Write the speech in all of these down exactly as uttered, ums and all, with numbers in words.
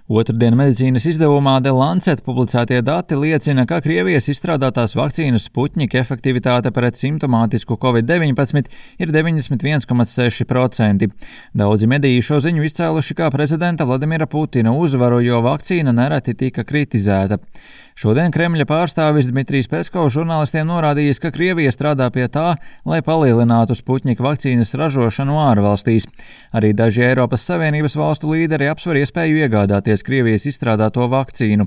Otrdien medicīnas izdevumā The Lancet publicētie dati liecina, ka Krievijas izstrādātās vakcīnas Sputnik efektivitāte pret simptomātisku covid deviņpadsmit ir deviņdesmit viens komats seši procenti. Daudzi mediji šo ziņu izcēluši kā prezidenta Vladimira Putina uzvaru, jo vakcīna nereti tika kritizēta. Šodien Kremļa pārstāvis Dmitrijs Peskovs žurnālistiem norādījis, ka Krievija strādā pie tā, lai palielinātu Sputnik vakcīnas ražošanu ārvalstīs. Arī daži Eiropas Savienības valstu līderi apsver iespēju iegādāties Krievijas izstrādāto vakcīnu.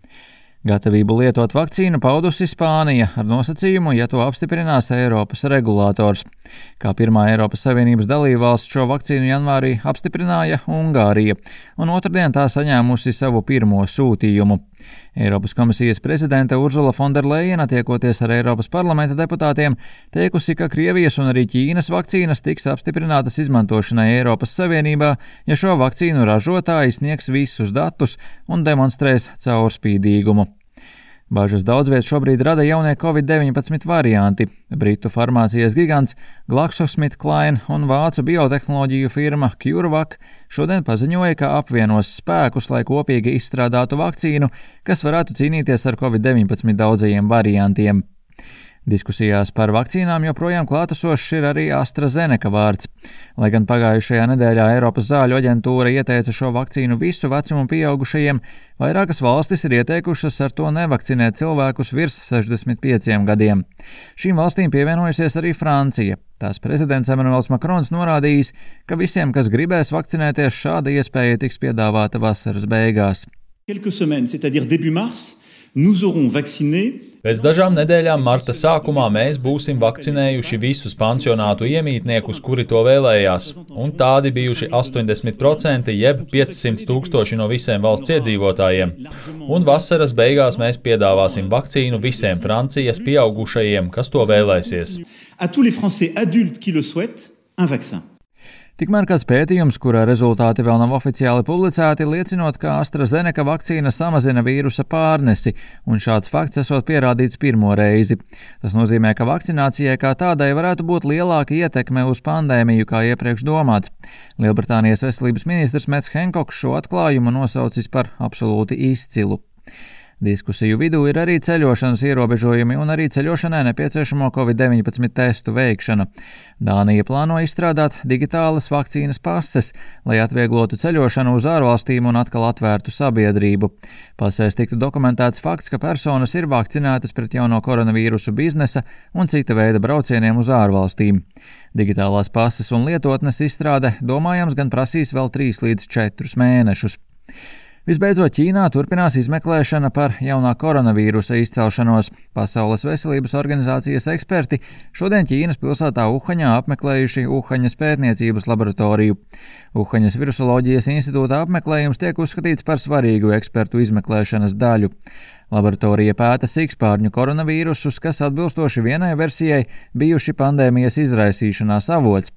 Gatavību lietot vakcīnu paudusi Spānija ar nosacījumu, ja to apstiprinās Eiropas regulators. Kā pirmā Eiropas Savienības dalībvalsts šo vakcīnu janvārī apstiprināja Ungārija, un otrdien tā saņēmusi savu pirmo sūtījumu. Eiropas komisijas prezidente Urzula Fonderlejena, tiekoties ar Eiropas parlamenta deputātiem, teikusi, ka Krievijas un arī Ķīnas vakcīnas tiks apstiprinātas izmantošanai Eiropas Savienībā, ja šo vakcīnu ražotāji sniegs visus datus un demonstrēs caurspīdīgumu. Bažas daudz viet šobrīd rada jaunie covid deviņpadsmit varianti. Britu farmācijas gigants GlaxoSmithKline un vācu biotehnoloģiju firma CureVac šodien paziņoja, ka apvienos spēkus, lai kopīgi izstrādātu vakcīnu, kas varētu cīnīties ar covid deviņpadsmit daudzajiem variantiem. Diskusijās par vakcīnām joprojām klātesošs ir arī AstraZeneca vārds. Lai gan pagājušajā nedēļā Eiropas zāļu aģentūra ieteica šo vakcīnu visu vecumu pieaugušajiem, vairākas valstis ir ieteikušas ar to nevakcinēt cilvēkus virs sešdesmit pieciem gadiem. Šīm valstīm pievienojusies arī Francija. Tās prezidents Emmanuels Macrons norādījis, ka visiem, kas gribēs vakcinēties, šāda iespēja tiks piedāvāta vasaras beigās. Quelques semaines, c'est-à-dire début mars, nous aurons vacciné. Pēc dažām nedēļām marta sākumā mēs būsim vakcinējuši visus pansionātu iemītniekus, kuri to vēlējās, un tādi bijuši astoņdesmit procenti jeb piecsimt tūkstoši no visiem valsts iedzīvotājiem. Un vasaras beigās mēs piedāvāsim vakcīnu visiem Francijas pieaugušajiem, kas to vēlēsies. À tous les Français adultes qui le souhaitent, un vaccin. Tikmēr kāds pētījums, kura rezultāti vēl nav oficiāli publicēti, liecinot, ka AstraZeneca vakcīna samazina vīrusa pārnesi, un šāds fakts esot pierādīts pirmo reizi. Tas nozīmē, ka vakcinācijai kā tādai varētu būt lielāka ietekme uz pandēmiju, kā iepriekš domāts. Lielbritānijas veselības ministrs Mets Henkoks šo atklājumu nosaucis par absolūti izcilu. Diskusiju vidū ir arī ceļošanas ierobežojumi un arī ceļošanai nepieciešamo covid deviņpadsmit testu veikšana. Dānija plāno izstrādāt digitālas vakcīnas pases, lai atvieglotu ceļošanu uz ārvalstīm un atkal atvērtu sabiedrību. Pasēs tiktu dokumentēts fakts, ka personas ir vakcinētas pret jauno koronavīrusu biznesa un cita veida braucieniem uz ārvalstīm. Digitālās pases un lietotnes izstrāde domājams gan prasīs vēl trīs līdz četrus mēnešus. Visbeidzot, Ķīnā turpinās izmeklēšana par jaunā koronavīrusa izcelšanos. Pasaules veselības organizācijas eksperti šodien Ķīnas pilsētā Uhaņā apmeklējuši Uhaņas pētniecības laboratoriju. Uhaņas virusoloģijas institūta apmeklējums tiek uzskatīts par svarīgu ekspertu izmeklēšanas daļu. Laboratorija pēta sikspārņu koronavīrusus, kas atbilstoši vienai versijai bijuši pandēmijas izraisīšanās avots.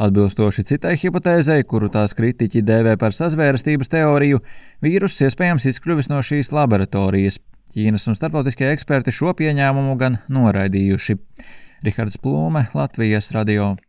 Atbilstoši citai hipotēzei, kuru tās kritiķi dēvē par sazvērstības teoriju, vīruss iespējams izkļuvis no šīs laboratorijas. Ķīnas un starptautiskie eksperti šo pieņēmumu gan noraidījuši. Rihards Plūme, Latvijas radio.